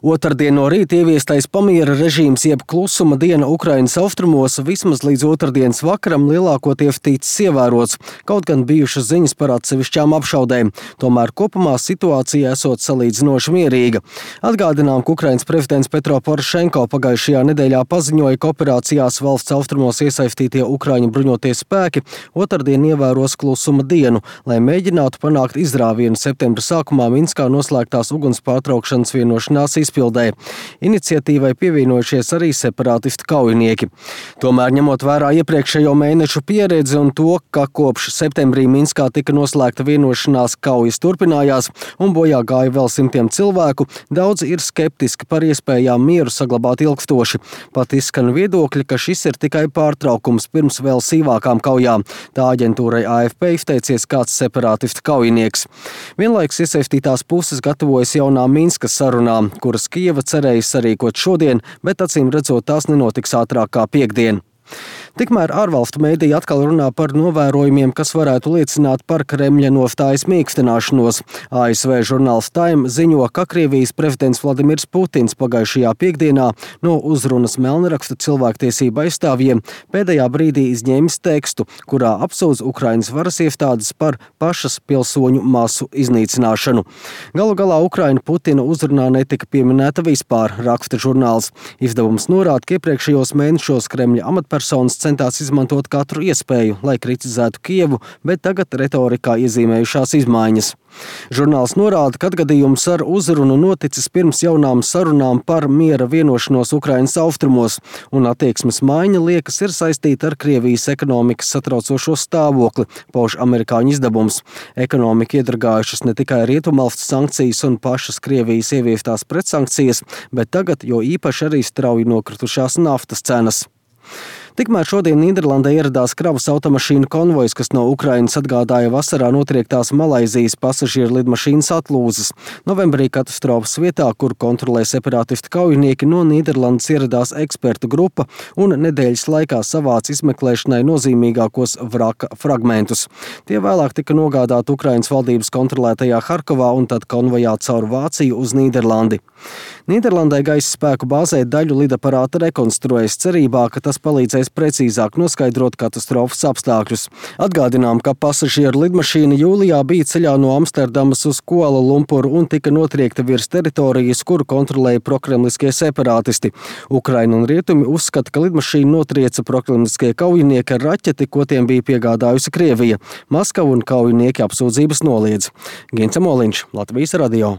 Otrdien no rīta ieviestais pamiera režīms jeb klusuma diena Ukrainas austrumos vismaz līdz otrdienas vakaram lielākoties ticis ievērots, kaut gan bijušas ziņas par atsevišķām apšaudēm. Tomēr kopumā situācija esot salīdzinoši mierīga. Atgādinām, ka Ukrainas prezidents Petro Porošenko pagājušajā nedēļā paziņoja, ka operācijās valsts austrumos iesaistītie Ukraiņu bruņotie spēki otrdien ievēros klusuma dienu, lai mēģinātu panākt izrāvienu septembra sākumā Minskā noslēgtās uguns pārtraukšanas vienošanās izpildē. Iniciatīvai pievienojušies arī separātistu kaujinieki. Tomēr, ņemot vērā iepriekšējo mēnešu pieredzi un to, ka kopš septembrī Minskā tika noslēgta vienošanās, kaujas turpinājās un bojā gāja vēl simtiem cilvēku, daudzi ir skeptiski par iespējām mieru saglabāt ilgstoši. Pat izskan viedokļi, ka šis ir tikai pārtraukums pirms vēl sīvākām kaujām. Tā aģentūrai AFP izteicies kāds separātistu kaujinieks. Vienlaikus iesaistītās puses gatavojas jaunā Minskas sarunām, kuras Kijeva cerēja sarīkot šodien, bet acīm redzot tās nenotiks ātrāk kā piektdien. Tikmēr ārvalstu mēdīji atkal runā par novērojumiem, kas varētu liecināt par Kremļa nostājas mīkstināšanos. ASV žurnāls Time ziņo, ka Krievijas prezidents Vladimirs Putins pagājušajā piekdienā no uzrunas melnraksta cilvēktiesību aizstāvjiem pēdējā brīdī izņēmis tekstu, kurā apsūdz Ukrainas varas iestādes par pašas pilsoņu masu iznīcināšanu. Galu galā Ukraina Putina uzrunā netika pieminēta vispār, raksta žurnāls. Izdevums norāda, ka iepriekšējos mēnešos Kremļa amatpersonas centās izmantot katru iespēju, lai kritizētu Kijevu, bet tagad retorikā iezīmējušās izmaiņas. Žurnāls norāda, ka atgadījums ar uzrunu noticis pirms jaunām sarunām par miera vienošanos Ukrainas austrumos, un attieksmes maiņa liekas ir saistīta ar Krievijas ekonomikas satraucošo stāvokli, pauž amerikāņu izdevums. Ekonomika iedragājušas ne tikai rietumvalstu sankcijas un pašas Krievijas ieviestās pretsankcijas, bet tagad jo īpaši arī strauji nokritušās naftas cenas. Tikmēr šodien Nīderlandē ieradās kravas automašīnu konvojs, kas no Ukrainas atgādāja vasarā notriektās Malaizijas pasažieru lidmašīnas atlūzas. Novembrī katastrofas vietā, kur kontrolē separātistu kaujinieki, no Nīderlandes ieradās ekspertu grupa un nedēļas laikā savāca izmeklēšanai nozīmīgākos vraka fragmentus. Tie vēlāk tika nogādāti Ukrainas valdības kontrolētajā Harkovā un tad konvojā caur Vāciju uz Nīderlandi. Nīderlandē gaisa spēku bāzē daļu lidaparāta rekonstruēs cerībā, ka tas palīdzēs precīzāk noskaidrot katastrofas apstākļus. Atgādinām, ka pasažieru lidmašīna jūlijā bija ceļā no Amsterdamas uz Kuala Lumpuru un tika notriekta virs teritorijas, kuru kontrolēja prokremliskie separātisti. Ukraina un rietumi uzskata, ka lidmašīnu notrieca prokremliskie kaujinieki ar raķeti, ko tiem bija piegādājusi Krievija. Maskava un kaujinieki apsūdzības noliedz. Gints Moliņš, Latvijas radio.